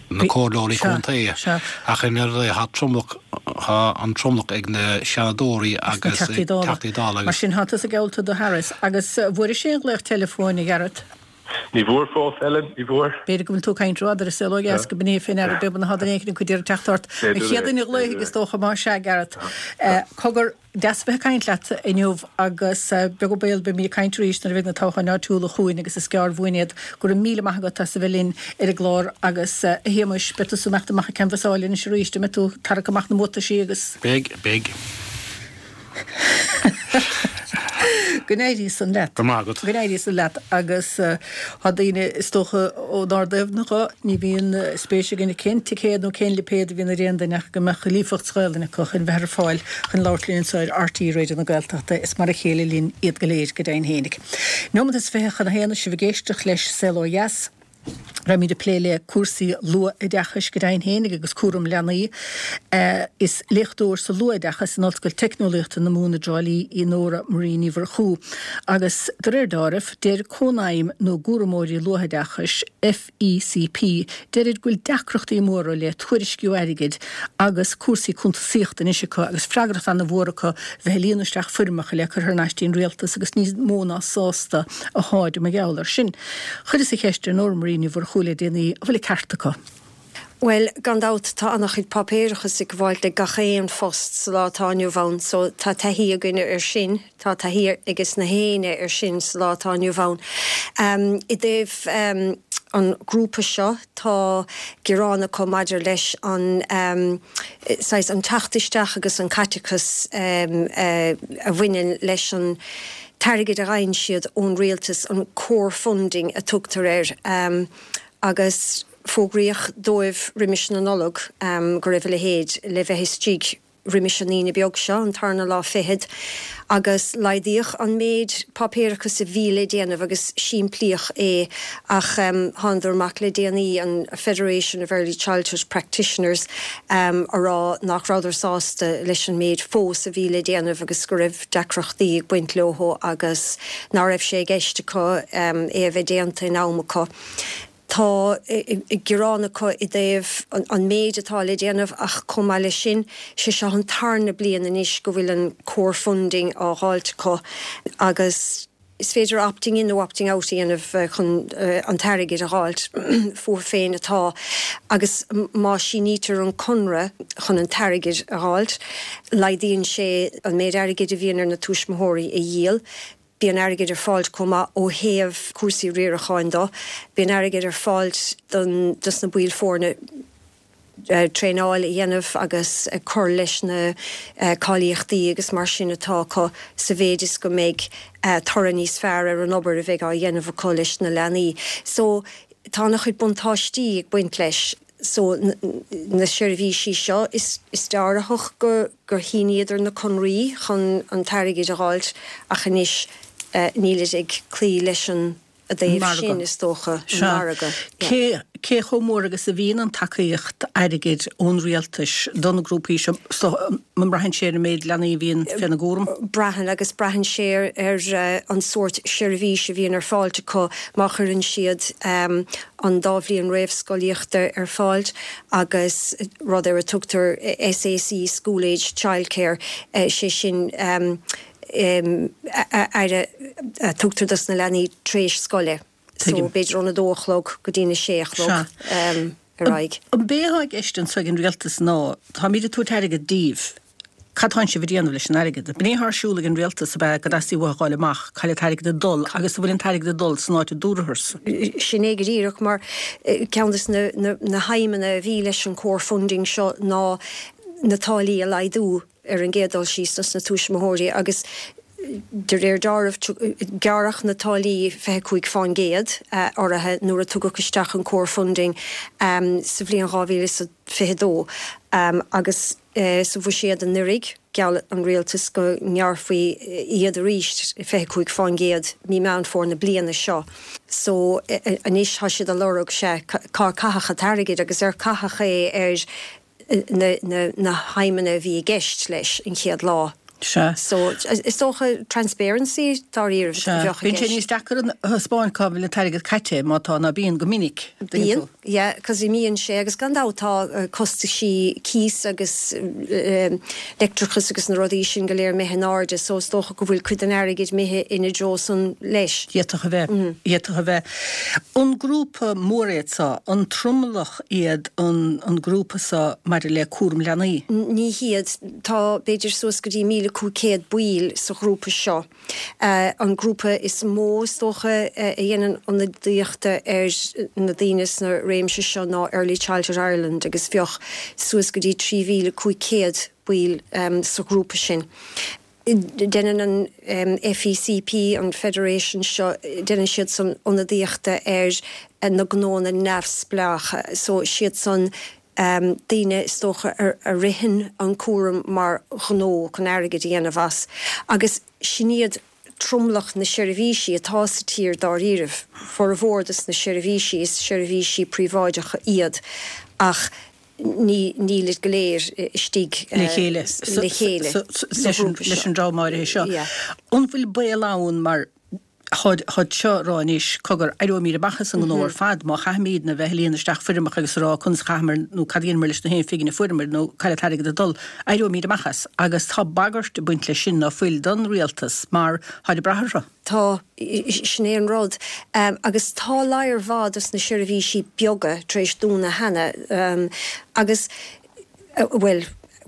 na comhairleoirí contae ach i ndáiríre tá tromlach tá an tromlach ag na seanadóirí agus ag Teachtaí Dála agus. Mar sin tá tusa geallta do Harris agus an bhfuairis aon ghlaoch teileafóin a Ghearóid? Ní bhfuair fós, Ellen, ní bhfuair. B'fhéidir go bhfuil tú ag caint rófhada ar an saol ó dheas go b'in é fé ndeara beag atá duine éicint ag iarraidh teacht ort. An chéad duine a ghlaofaidh is dócha más ea, Gareth. Cogar. Deas a bheith ag caint leat inniu agus beag an baol beimid ag caint arís nuair a bheidh na toghcháin áitiúla chugainn agus is gearr uainn iad. Go raibh míle maith agat as a bheith linn ar an gclár agus a Shéamais, beidh tusa ag imeacht amach ag canbhasáil anois arís, an mbeidh tú ag tarrac amach na mbuataisí agus. Beidh, beidh. Go n-éirí san leat. Go raibh maith agat. Go n-éirí san leat agus tá daoine, is dócha, ónár dtaobh dhe, ní bhíonn spéis againn cén ticéad nó cén lipéad a bhíonn ar aon duine ach go mbeadh líofacht sa Ghaelainn acu chun bheith ar fáil chun labhairt linn anseo ar RTÉ Raidió na Gaeltachta. Is mar a chéile linn iad go léir, go deimhin fhéinig. Neomat is 20 chun a haon sibh ag éisteacht leis Saol Ó Dheas. Beimid ag plé le cúrsaí luathoideachais go deimhin fhéinig agus cúram leanaí. Is léachtóir sa luathoideachas in Ollscoil Teicneolaíochta na Mumhan i dTrá Lí í Nóra Marie Ní Mhurchú. Agus de réir deáraimh, deir Cónaidhm na gCúramóirí Luathoideachais, FECP, deirid go bhfuil deacrachtaí móra le tuairisciú airgid agus cúrsaí cuntasaíochta anois acu agus freagracht ana-mhór acu bheith ag líonadh isteach foirmeacha le cur thar n-ais dtí'n rialtas agus níos mó ná sásta atháid mar gheall air sin. Chuireas an cheist ar Nóra Marie Ní Mhurchú le déanaí, an bhfuil an ceart acu? Bhuel, gan dabht, tá an-chuid páipéarachas ag gabháilt le gach aon phost sa lá atá inniu ann, so tá taithí againne ar sin, tá taithí ages na héinne ar sin sa lá atá inniu ann. I dtaobh an grúpa seo, tá gearán acu maidir leis an, saghas, an teacht isteach agus an caiteachas a bhaineann leis an, t-airgead a fhaigheann siad ón rialtas, an core funding a tugtar air, agus fógraíodh dóibh roimis na Nollag go raibh a leithéid le bheith istigh. roimis an Aoine beag seo, an tarna lá fichead, agus laghdaíodh an méid páipéarachais a bhí le déanamh agus simplíodh é ach thánadar amach le déanaí, an Federation of Early Childhood Practitioners, a rá nach rabhadar sásta leis an méid fós a bhí le déanamh agus go raibh deacrachtaí ag baint leo agus ná raibh sé i gceist acu é a bheith déanta in am acu. Tá gearán acu i dtaobh an méid atá le déanamh ach chomh maith leis sin, sé seo an tarna bliain anois go bhfuil an core funding á dh'fháilt acu agus is féidir opting in nó opting out a dhéanamh chun an t-airgead a dh'fháilt fúthu féin atá agus má sínítear an conradh chun an t-airgead a dh'fháilt, laghdaíonn sé an méid airgid a bhíonn ar na tuismitheoirí a dhíol. Bíonn airgead ar fáilt chomh maith ó thaobh cúrsaí riaracháin do. Bíonn airgead ar fáilt don dos na baill foirne traenáil a dhéanamh agus cur leis na cáilíochtaí agus mar sin atá acu sa mhéid is go mbeidh toradh níos fearr ar an obair a bheidh á dhéanamh acu leis na leanaí. So tá ana-chuid buntáistí ag baint leis. So na seirbhísí seo, is dealraitheach gur shíníodar na conraí chun an t-airgead a dh'fháilt ach anois nílid ag cloí leis an dtaobh sin, is dócha, an margadh. Cé cé chomh mór agus a bhíonn an tacaíocht airgid ón rialtais do na grúpaí seo? An mbraitheann sé ar an méid leanaí a bhíonn féna gcúram? Braitheann, agus braitheann sé ar an sórt seirbhís a bhíonn ar fáilt acu má chuireann siad an dá bhliain réamhscolaíochta ar fáilt agus rud ar a tugtar SAC, School Age Childcare, sé sin aire a tugtar dos na leanaí tar éis scoile. So b'fhéidir ón a dó a chlog go dtí'n a sé a chlog ar aghaidh. An b'é atá i gceist anso ag an rialtas ná, táimíd ag tabhairt airgead díbh, Cad tánn sibh ag déanamh leis an airgead? B'in é atá ar siúl ag an rialtas, ab ea, go dteastaíonn uathu a dh'fháil amach cá bhfuil an t-airgead ag dul agus an bhfuil an t-airgead ag dul san áit a dúratharsa. Sin é go díreach, mar ceann de na haidhmeanna a bhí leis an core funding seo ná na táillí a laghdú ar an gcéad dul síos dos na tuismitheoirí agus de réir dealraimh gearradh na táillí 25% orthu nuair a tugadh isteach an core funding sa bhliain 2022 agus Sa bhuiséad anuraidh, gheall an rialtas go ngearrfaí iad arís 25% mí Meán Fómhair na bliana seo. So anois tá siad ag lorg, sea, cár caitheadh an t-airgead agus ar caitheadh é ar na haidhmeanna a bhí i gceist leis an chéad lá. Sea. So is dócha transparency dáiríribh a bheadh i gceist. Bíonn sé níos deacair a thaispeáint cá bhfuil an t-airgead caite má tá, ná bíonn go minic. Bíonn. Yeah, cos imíonn sé agus gan dabht tá costaisí cíos agus leictreachas agus na rudaí sin go léir imithe in airde so is dócha go bhfuil cuid den airgead imithe ina dtreo san leis. D'fhéadfadh a bheith. D'fhéadfadh a bheith. An grúpa mór iad so, an tromlach iad an an grúpa so maidir le cúram leanaí? Ní hiad. Tá b'fhéidir suas go dtí 1,500 baill sa ghrúpa seo. An grúpa is mó, is dócha, a dhéanann ionadaíocht ar na daoine sna réimse seo ná Early Childhood Ireland agus bheadh suas go dtí 3,500 baill sa ghrúpa sin. Déanann an FECP, an Federation seo, déanann siadsan ionadaíocht ar na gnóanna neamhspleácha so siadsan daoine is dócha a ritheann an cúram mar ghnó chun airgead a dhéanamh as agus sin iad tromlach na seirbhísí atá sa tír dáiríribh. Formhór dos na seirbhísí is seirbhísí príobháideacha iad ach ní nílid go léir istigh le chéile le chéile sa ghrúpa seo. Leis an dream áirithe seo. An bhfuil baol ann mar Táid seo ag rá anois, cogar, éireoimid amach as an ngnó ar fad má chaithfimídne a bheith ag líonadh isteach foirmeacha agus a rá conas a chaitheamar nó cad a dheineamar leis na haon phingin a fuaireamar nó cá bhfuil an t-airgead ag dul. Éireoimid amach as. Agus tá bagairt ag baint leis sin, ná fuil, don rialtas mar táid ag brath orthu. Tá. Sin é an rud. Agus tá lear mhaith dos na seirbhísí beaga tar éis dúnadh cheana. Agus. bhuel,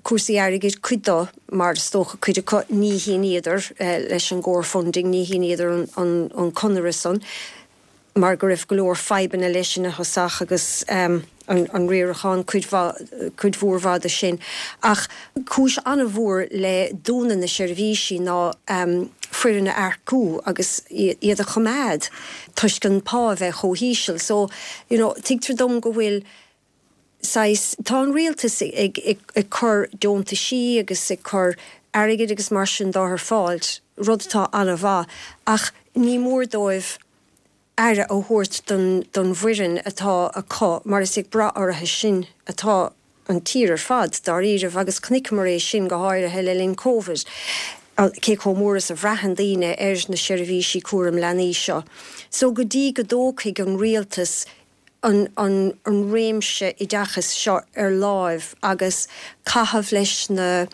cúrsaí airgid, cuid dó, mar is dócha cuid acu, ní shíníodar leis an gcore funding, ní shíníodar an conradh san mar go raibh go leor fadhbanna leis ina thosach agus an riarachán, cuid mhaith, cuid mhór mhaith de sin. Ach cúis an-mhór le dúnadh na seirbhísí ná foireann a earcú agus iad a choimeád toisc an pá a bheith chomh híseal. So, you know, tuigtear dom go bhfuil. Saghas, tá an rialtas ag ag cur deontaisí agus ag cur airgid agus mar sin dó ar fáil, rud atá an-mhaith, ach ní mór dóibh aire a thabhairt don don bhfoireann atá acu mar is ag brath orthu sin atá an tír ar fad, dáiríribh, agus chonaiceamar é sin go háirithe le linn Covid, cé chomh mór is a bhraitheann daoine ar na seirbhísí cúram leanaí seo. So go dtí go dtógfaidh an rialtas an an réimse oideachais seo ar láimh agus caitheamh leis na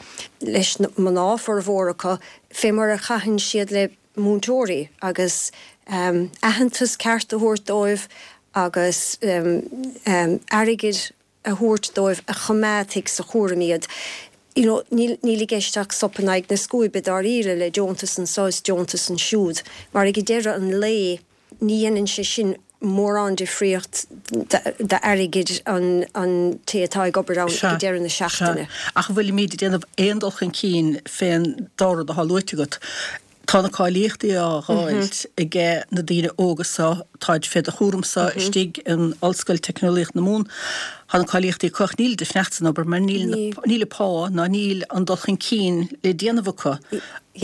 leis na mná, formhór acu, fé mar a chaitheann siad le múinteoirí agus aitheantas ceart a thabhairt dóibh agus airgead a thabhairt dóibh a choimeádfaidh sa chúram iad. You know, níl, níl i gceist ach sop in aghaidh na scuaibe dáiríre le deontas anso is deontas ansiúd, mar ag deireadh an lae ní dhéanann sé sin mórán difríocht d'airgead an, an té atá ag obair ann ag deireadh na seachtaine. Sea, ach an bhfuilimíd ag déanamh aon dul chun cinn fén dá rud atá luaite agat? Tá na cáilíochtaí á dh'fháilt aige na daoine óga so, táid fé do chúramsa istigh in Ollscoil Teicneolaíocht na Mumhan. Tá na cáilíochtaí acu ach nílid ag fanacht san obair mar níl níl an pá ná níl an dul chun cinn le déanamh acu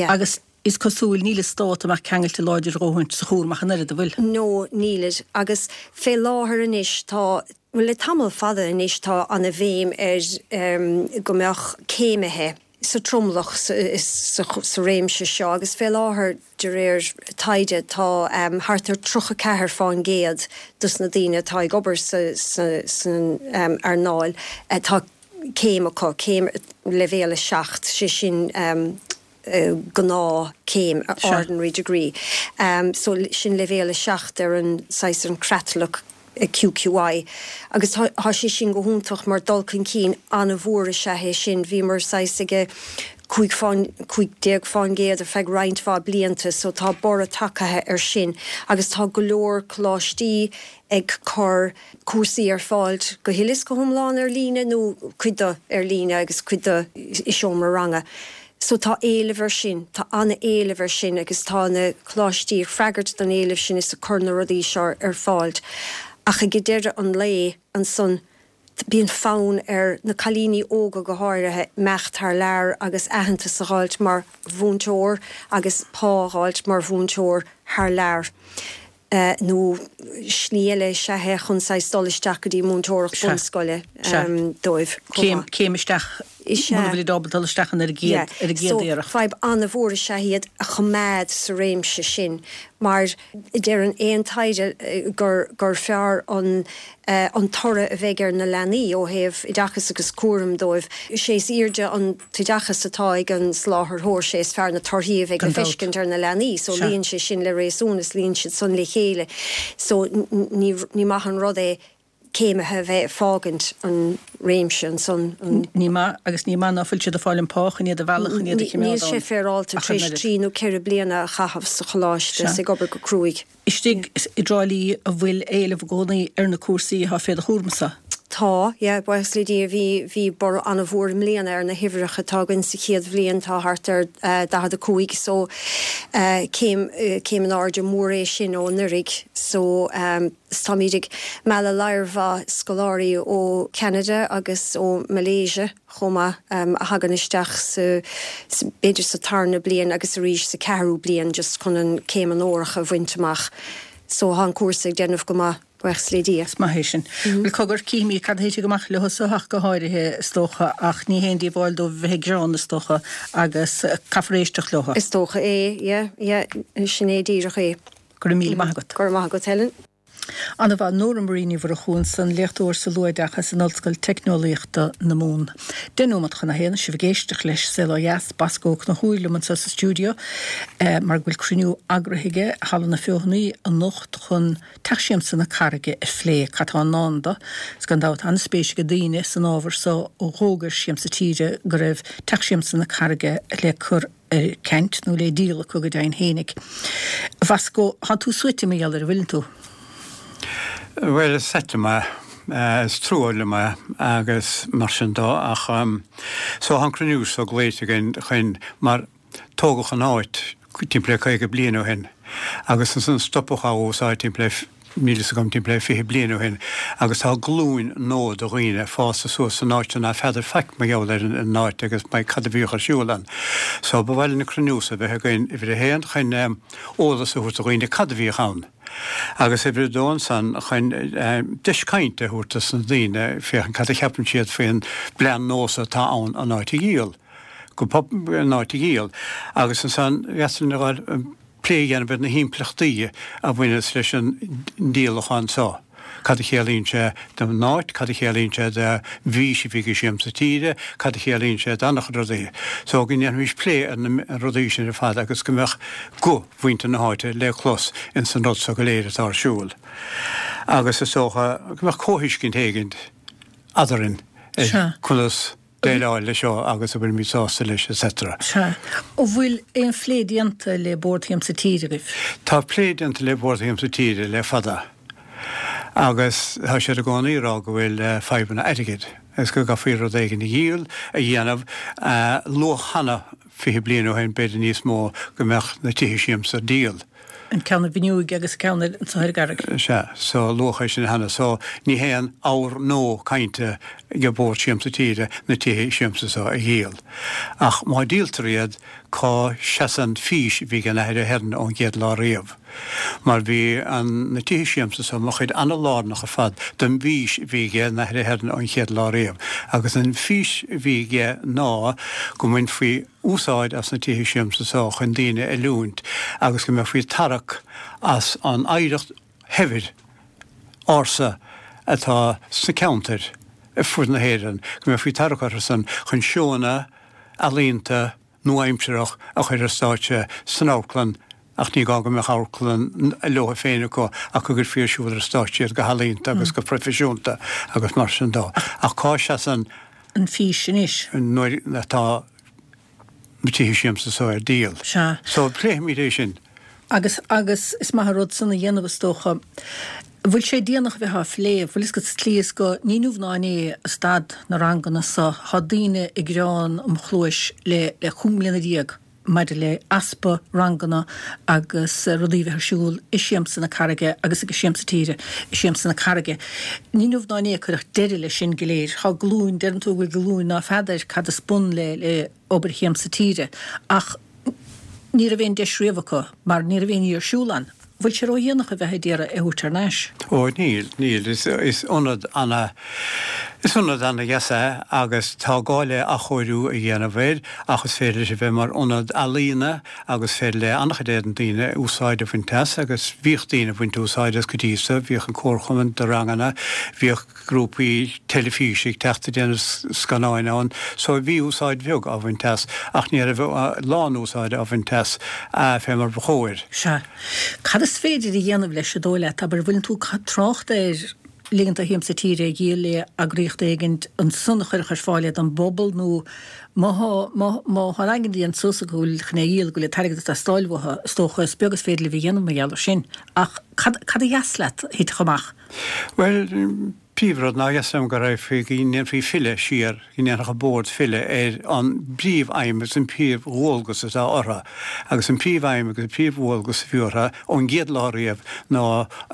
agus is cosúil níl an stát amach ceangailte láidir a dhóthaint sa chúram ach an oiread, an bhfuil? No, nílid. Agus fé láthair anois tá, bhuel le tamall fada anois tá ana bhéim ar go mbeadh céimithe, sa tromlach sa réimse seo agus fé láthair, de réir taighde, tá thart ar 34 fán gcéad dos na daoine atá ag obair san earnáil, tá céim acu, céim leibhéal 7, sé sin gnáth céim, ordinary degree. So sin leibhéal 7 ar an saghas an creatlach. QQI, agus tá sé sin go hiontach mar dul chun cinn an-mhór is ea é sin. Bhíomar saghas ag 15 fán, 15% ar feadh roinnt mhaith blianta so tá borradh tagtha ar sin agus tá go leor coláistí ag cur cúrsaí ar fáil go huile is go hiomlán ar líne nó cuid de ar líne agus cuid de i seomra ranga. So tá éileamh ar sin, tá an-éileamh ar sin agus tá na coláistí ag freagairt don éileamh sin is ag cur na rudaí seo ar fáil. Ach ag deireadh an lae ansan bíonn fonn ar na cailíní óga go háirithe imeacht thar lear agus aitheantas a dh'fháilt mar mhúinteoir agus pá a dh'fháilt mar mhúinteoir thar lear. nó slí eile is ea é chun saghas dul isteach go dtí múinteoireacht bunscoile dóibh chomh maith. Céim isteach muna bhfuilid ábalta dul isteach an ar an gcéad ar an gcéad iarracht. So fadhb an-mhór is ea iad a choimeád sa réimse sin mar deireann aon taighde gur gur fearr an an toradh a bheidh ar na leanaí ó thaobh oideachas agus cúraim dóibh. Sé is airde an t-oideachas atá ag an soláthaitheoir, sé is fearr na torthaí a bheidh le feiscint ar na leanaí. So luíonn sé sin le réasún is luíonn siad san le chéile. So ní ní maith an rud é céimithe a bheith ag fágaint an réimse ansan. Ní maith, agus ní maith ná fuil siad ag fáil an pá chun iad a mhealladh chun iad a choimeád ann. Níl sé féaráilte tar éis trí nó ceithre bliana a chaitheamh sa choláiste is ag obair go cruaidh. Istigh i dTrá Lí an bhfuil éileamh i gcónaí ar na cúrsaí atá fé do chúramsa? Tá, yeah, buíochas le Dia bhí, bhí borradh an-mhór i mbliana ar na huimhreacha atá againn sa chéad bhliain, tá thart ar 45 so céim, céim in airde mór é sin ó anuraidh so 's táimíd ag mealladh lear mhaith scoláirí ó Cheanada agus ó Malaysia. chomh maith, a thagann isteach sa, b'fhéidir sa tarna bliain agus arís sa ceathrú bliain just chun an céim onórach a bhaint amach. So tá an cúrsa ag déanamh go maith, buíochas le Dia. Is maith é sin. Bhuel, cogar, cífimid cad a thitfidh amach leo so ach go háirithe, is dócha, ach ní haon díobháil dóibh a bheith ag gearán, is dócha, agus caithfear éisteacht leo. Is dócha é, yeah, yeah, sin é díreach é. Go raibh míle maith agat. Go raibh maith agat, Helen. Ana-mhaith. Nóra Marie Ní Mhurchú ansan, léachtóir sa luathoideachas in Ollscoil Teicneolaíochta na Mumhan. 1/10 nóiméad, sibh ag éisteacht leis Saol Ó Dheas, Boscó Ó Conchúir liom anseo sa stiúideo mar go bhfuil cruinniú eagraithe aige i Halla na Feothanaí anocht chun Teach Siamsa na Carraige a phlé, cad tá i ndán do. Is gan dabht tá an-spéis ag daoine san ábhar so ó dh'fhógair Siamsa Tíre go raibh Teach Siamsa na Carraige le cur ar ceant nó le díol acu go deimhin fhéinig. A Bhosco, thánn tú suaite mar gheall air, an bhfuileann tú? Bhuel, is ait liom é. Is trua liom é agus mar sin dó ach so tá an cruinniú so glaoite againn chun mar tógadh an áit timpeall le 50 bliain ó shin agus ansan stopadh á úsáid timpeall le. Níl fhios agam, timpeall le 20 bliain ó shin, agus tá glúin nua de dhaoine fásta suas san áit seo ná feadar faic mar gheall ar an áit agus mar cad a bhíodh ar siúl ann. So ba mhaith linn an cruinniú so a bheith againn uimhir a haon chun eolas a thabhairt do dhaoine cad a bhíodh ann agus uimhir a dó ansan chun deis cainte a thabhairt dos na daoine féachaint cad a cheapann siad faoin bplean nua so atá ann an áit a dhíol go an áit a dhíol agus ansan dheas linn a ghabháil plé a dhéanamh ar na himpleachtaí a bhaineas leis an ndíolachán seo, cad a chiallaíonn sé don áit, cad a chiallaíonn sé do bhfís a bhí ag Siamsa Tíre, cad a chiallaíonn sé d'an-chuid rudaí. So go ndéanfaimis plé ar na rudaí sin ar fad agus go mbeadh guth mhuintir na háite le clos ins an rud seo go léir atá ar siúl. Agus is dócha go mbeadh comhthuiscint éigint eadrainn ar conas déileáil leis seo agus an bhfuilimid sásta leis etc. Sea. An bhfuil aon phlé déanta le Bord Shiamsa Tíre agaibh? Tá plé déanta le Bord Shiamsa Tíre le fada agus tá siad i gcónaí ag rá go bhfuil fadhbanna airgid agus go gcaithfí rud éigin a dhíol, a dhéanamh. Luadh cheana 20 bliain ó shin, b'fhéidir níos mó, go mbeadh na tithe siamsa ar díol. An ceann i bhFinniúig agus an ceann anso ar an gCarraig. Sea, so luadh é sin cheana. So ní haon ábhar nua cainte ag Bord Siamsa Tíre na tithe siamsa so a dhíol. Ach má díoltar iad, cá seasann fís a bhí ag an Athair Ahern ón gcéad lá riamh? Mar bhí an na tithe siamsa so mar chuid ana-lárnach ar fad den bhfís a bhí ag an Athair Ahern ón chéad lá riamh. Agus an fís a bhí aige ná go mbainfí úsáid as na tithe siamsa so chun daoine a oiliúint agus go mbeifí ag tarrac as an oidhreacht shaibhir ársa atá sna ceantair ar fud na hÉireann, go mbeifí ag tarrac orthu san chun seónna ealaíonta nua-aimsearach a chur ar stáitse san amharclann ach ní gá go mbeadh amharclann leo féin acu ach go gcuirfí ar siúl ar stáitse iad go healaíonta agus go proifisiúnta agus mar sin dó. Ach cá seasann. an fís anois? nuair atá na tithe siamsa so ar díol. Sea. So pléifimid é sin. Agus, agus is maith an rud san a dhéanamh is dócha. Bhfuil sé déanach a bheith á phlé? Bhfuil fhios agat sa tslí is go, ní inniu ná inné a stad na ranganna so, tá daoine ag gearán im chluais le, le 15 mbliana. maidir le easpa ranganna agus rudaí a bheith ar siúl i Siamsa na Carraige agus ag Siamsa Tíre i Siamsa na Carraige. Ní inniu ná inné a cuireadh deireadh leis sin go léir. Tá glúin, deireann tú go bhfuil glúin ná feadar cad is bun le le obair Shiamsa Tíre ach ní raibh aon deis riamh acu mar ní raibh aon ní ar siúl ann. Bhfuil sé ródhéanach a bheith ag iarraidh é a thabhairt thar n-ais? Ó níl, níl. Is ionad ana, is ionad ana-dheas é agus tá gá le athchóiriú a dhéanamh air ach is féidir leis a bheith mar ionad ealaíona agus is féidir le an-chuid de na daoine úsáid a bhaint as agus bhíodh daoine ag baint úsáid as go dtí so, bhíodh an comharchumann do ranganna, bhíodh grúpaí teilifíse ag teacht ag déanamh scannáin ann so bhí úsáid bheag á bhaint as ach ní raibh a lán úsáide á bhaint as fé mar ba chóir. Sea. Cad is féidir a dhéanamh leis, an dóigh leat? Abair, bhfuileann tú ag trácht ar ligint do Shiamsa Tíre a dhíol le eagraíocht éigint ansan a chuirfeadh ar fáil é don bpobal nó má thá, má, má thá an aigne déanta suas acu go bhfuil chun é a dhíol, go bhfuil an t-airgead ag teastáil uathu, is dócha, is beag is féidir libh a dhéanamh mar gheall air sin. Ach cad, cad a dheas leat a thitfeadh amach? Bhuel, príomhrud ná dheas liom go raghfaí, go ndéanfaí filleadh siar, go ndéanfadh an Bord filleadh ar an bpríomh-aidhm agus an príomh-dhualgas atá orthu. Agus an príomh-aidhm agus an príomh-dhualgas a bhí orthu ón gcéad lá riamh ná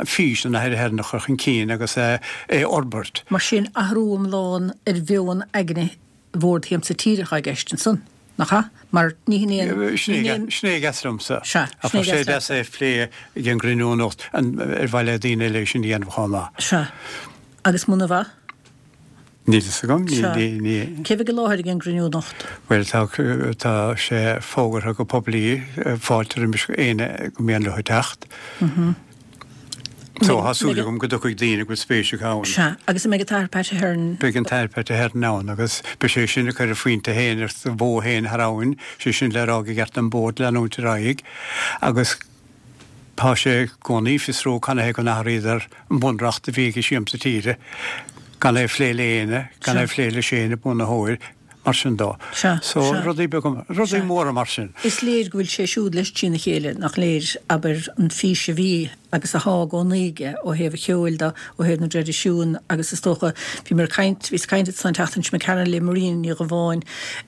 fís an Athar Ahern a chur chun cinn agus é a fhorbairt. Mar sin, athrú iomlán ar mheon aigne Bhord Shiamsa Tíre atá i gceist ansan, nach ea? Mar ní hin é an. Sin é a dheas liomsa. Sea, sin é a dheas leat. Ach tá sé deas é a phlé ag an gcruinniú anocht, ar mhaith le daoine eile é sin a dhéanamh chomh maith. Sea. Agus muna mhaith? Níl fhios agam. Sea. Cé bheidh i láthair ag an gcruinniú anocht? Bhuel, tá, tá sé fógartha go poiblí, fáilte roimis éinne gur mian leo teacht. So, tá súil agam go dtiocfaidh daoine go bhfuil spéis acu ann. Sea, agus an mbeidh an tAthair Pat Ahern? Beidh an tAthair Pat Ahern ann agus beidh sé sin ag cur a phointe féin ar a bhó féin thar abhainn, sé sin le rá gur cheart don Bhord leanúint ar aghaidh agus tá sé i gcónaí ag fiosrú canathaobh go n-athraíodar an bunreacht a bhí ag Siamsa Tíre, gan é a phlé le éinne, gan é a phlé le Shane, an bunaitheoir. mar sin dó. Sea, So, sea. rudaí beaga, rudaí Sea. móra mar sin. Is léir go bhfuil sé siúd leis trína chéile, nach léir, abair, an fís a bhí agus athá i gcónaí aige ó thaobh an cheoil de, ó thaobh na dtraidisiún agus is dócha, bhíomar ag caint, bhíos ag caint ansan an tseachtain seo imigh tharainn le Marina Ní Dhubháin,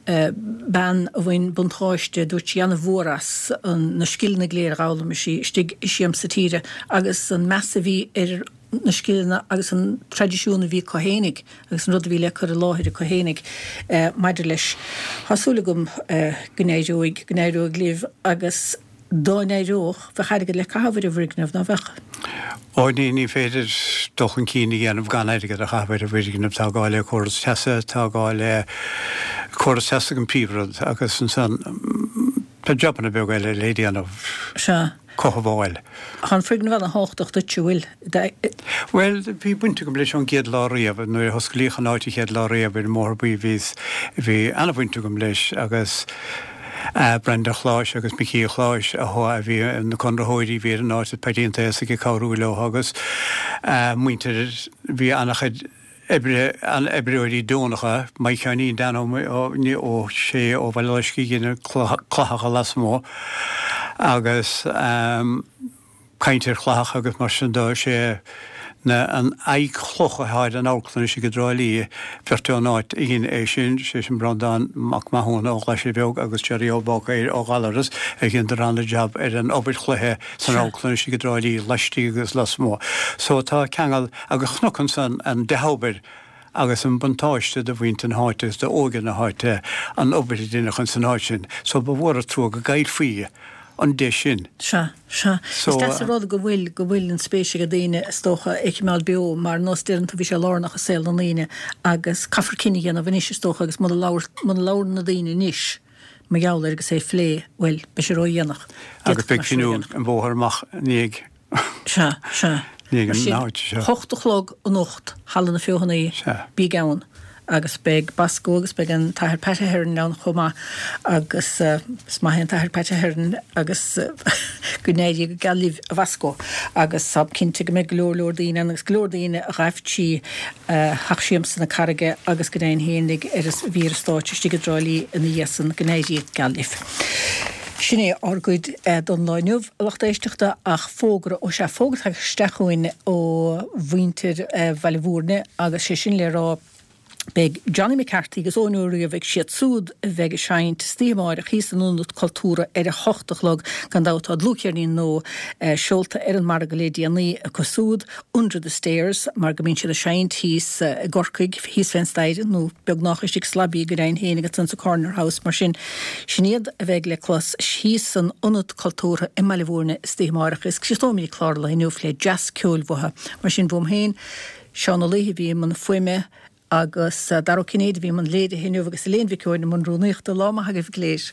bean a bhain buntáiste, dúirt sí, ana-mhór as na scileanna go léir a dh'fhoghlaim sí istigh i Siamsa Tíre agus an meas a bhí ar na scileanna agus an traidisiún a bhí acu fhéinig agus an rud a bhí le cur i láthair acu fhéinig maidir leis. Tá súil agam go n-éireoidh, go n-éireoidh libh agus dá n-éireodh, bheadh airgead le caitheamh ar an bhfoirgneamh, ná beadh? Ó, ní, ní féidir dul chun cinn a dhéanamh gan airgead a chaitheamh ar an bhfoirgneamh. Tá gá le córas teasa, tá gá le córas teasa an príomhrud agus ansan tá jabanna beaga eile le déanamh. Sea. Cothabháil. Tá an foirgneamh ana-thábhachtach duit, an bhfuil? Bhuel, bhí baint agam leis ón gcéad lá riamh. Nuair a hosclaíodh an áit an chéad lá riamh ar an mBóthar Buí bhíos, bhí ana-bhaint agam leis agus Brendan Chláis agus Micí Chláis a a bhí na conraitheoirí a bhí ar an áit is Paidí an Taosaigh ag cabhrú leo agus muintir, bhí ana-chuid oibre, an-oibreoirí deonacha, Mike Sheáinín Dan Ó Ó Sé ó Bhaile Loiscthe a dhein an clathacha lasmuigh agus caint ar chlathacha agus mar sin de, sé na an aghaidh chloch atá ar an amharclann istigh i dTrá Lí, beirt ón áit a dhein é sin, sé sin Breandán Mac Mathúna ó Ghlaise Bheag agus Jerry Ó Bácaeir ó Ghallaras a dheineadar ana-jab ar an obair chloiche san amharclann istigh i dTrá Lí laistigh agus lasmuigh. So tá ceangal Agus chonac ansan an dea-obair agus an buntáiste do mhuintir na háite agus d'óige na háite an obair a deineadh ins an áit sin. So ba mhór an trua go gcaillfí an deis sin. Sea, sea. So. Is deas an rud go bhfuil, go bhfuil an spéis ag daoine, is dócha, é a choimeád beo mar nós deireann tú bhí sé lárnach i saol na ndaoine agus caithfear cinneadh a dhéanamh anois is dócha agus muna labhair, muna labhrann na daoine anois mar gheall air agus é a phlé, bhuel, beidh sé ródhéanach. Agus beidh cruinniú an bhóthair amach i ndiaidh. Sea, sea. Ní Mar sin, an áit seo. hocht a chlog anocht, Halla na Feothanaí, Sea. bíg ann. Agus beidh Bosco agus beidh an tAthair Pat Ahern ann chomh maith agus is maith é an tAthair Pat Ahern agus go n-éirí go geal libh a Bhosco. Agus táim cinnte go mbeidh go leor leor daoine ann agus go leor daoine a ghaibh trí Theach Siamsa na Carraige agus go deimhin fhéinig ar a bhí ar an stáitse istigh i dTrá Lí ina dhiaidh san, go n-éirí go geal libh. Sin é ár gcuid don lá inniu, a lucht éisteachta, ach fógra, ó sea, fógra tagtha isteach chugainn ó mhuintir Bhaile Mhúirne agus sé sin le rá, beidh Johnny McCarthy agus Eoin Ó Riabhaigh, siad súd a bheidh ag seinnt istoíche amáireach thíos san Ionad Cultúrtha ar a hocht a chlog. Gan dabht tá dlúthcheirnín nua seolta ar an margadh le déanaí acu súd. Under the Stairs, mar go mbíonn siad ag seinnt thíos i gCorcaigh, thíos fén staighre, nó beagnách istigh sa lobby go deimhin féin agus ansan sa Corner House, mar sin, sin iad a bheidh le clos thíos san Ionad Cultúrtha i mBaile Mhúirne istoíche amáireach. Is críochnóimid an clár lae inniu le dreas ceoil uathu. Mar sin, uaim féin, Seán Ó Laoithe a bhí i mbun fuaime agus Dara Ó Cinnéide a bhí i mbun léirithe inniu agus Elaine Mhic Eoin i mbun rúnaíochta. Lá maith agaibh go léir.